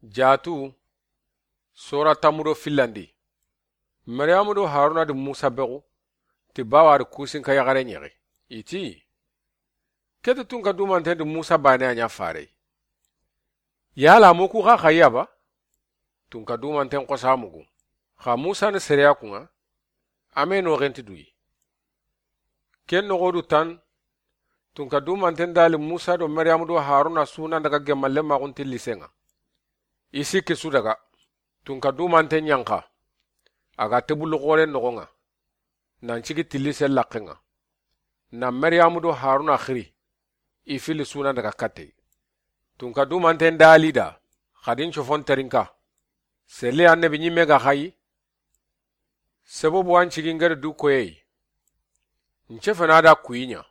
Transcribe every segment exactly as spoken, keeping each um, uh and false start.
Jaatu, sora tanmu do fillandi. Mariyamu do Haruna di Musa bexu, ti bawa di kusinka yaxare ɲexi. I ti, ke ti tunka dumanten di Musa baane a ɲa fare. Yala mu ku xa xa yaba? Tunka dumanten xosa mugu. Xa Musa ni sereya kunŋa, a me noxenti duyi. Ken noxo du tan, tunka dumanten dali Musa do Mariyamu do Haruna su nan daga gemmalle maxunti lisenŋa. I sikki su daga. Tunka dumanten ɲanxa. A ga tebulu xoren noxonŋa. Nan cigi tilli sellaxenŋa. Na Mariyamu do Haruna xiri. I fili su nan daga kattey. Tunka dumanten dali da, xadin cofon terinka. Seli annabi ɲimme ga xayi. Sebobu an cigi ngeri du koyey. Nce fena da kuyiɲa.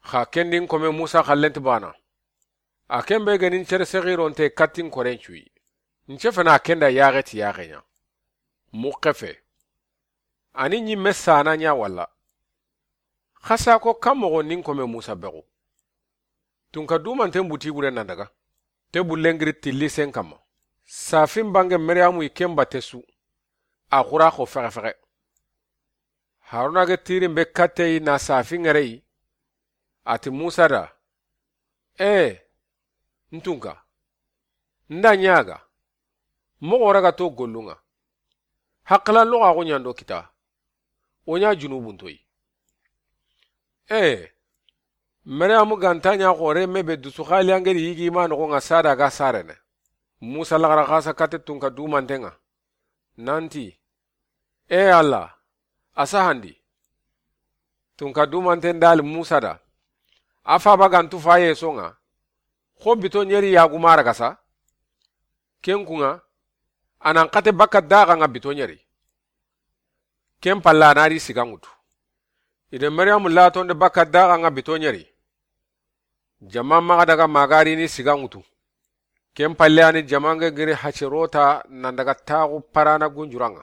Xa kendin kome Musa xallenti bana. A ken be genin cere sexironte kattin koren cuyi. Nce fena kenda yaxe ti yaxeɲa. Muxefe. Ani ɲimme sana ɲa walla. Xasa ko kan moxo nin kome Musa bexu. Tunka dumanten buti bure nan daga. Te bullengiri tilli sen kamma. Safin bange Mariyamu i ken batte su. A xura xo fexe fexe. Haruna ge tirin be kattey na safin ŋerey. A ti Musa da. Ee, n tunka. N da ɲaga. Moxo raga to gollunŋa. Hakkila loxaxu ɲando kita. O ɲa junubuntoyi. Ee, Mariyamu ganta ɲa xore me be dusu xali angeri yigi ma noxonŋa sada ga sarene. Musa laxara xasa kate tunka dumantenŋa. Nanti, ee Alla, a sahandi. Tunka dumanten dali Musa da. A faba gantu faye sonŋa. Xo bito ɲeri yagumara gasa. Ken kunŋa, a nan xate bakka daxanŋa bito ɲeri. Ken palla a na ri siga ŋutu. I de Mariyamu latonde bakka daxanŋa bito ɲeri. Jama maxa daga magarini siga ŋutu. Ken palle ani jamange giri hacerota nan daga taxu parana gunjuranŋa.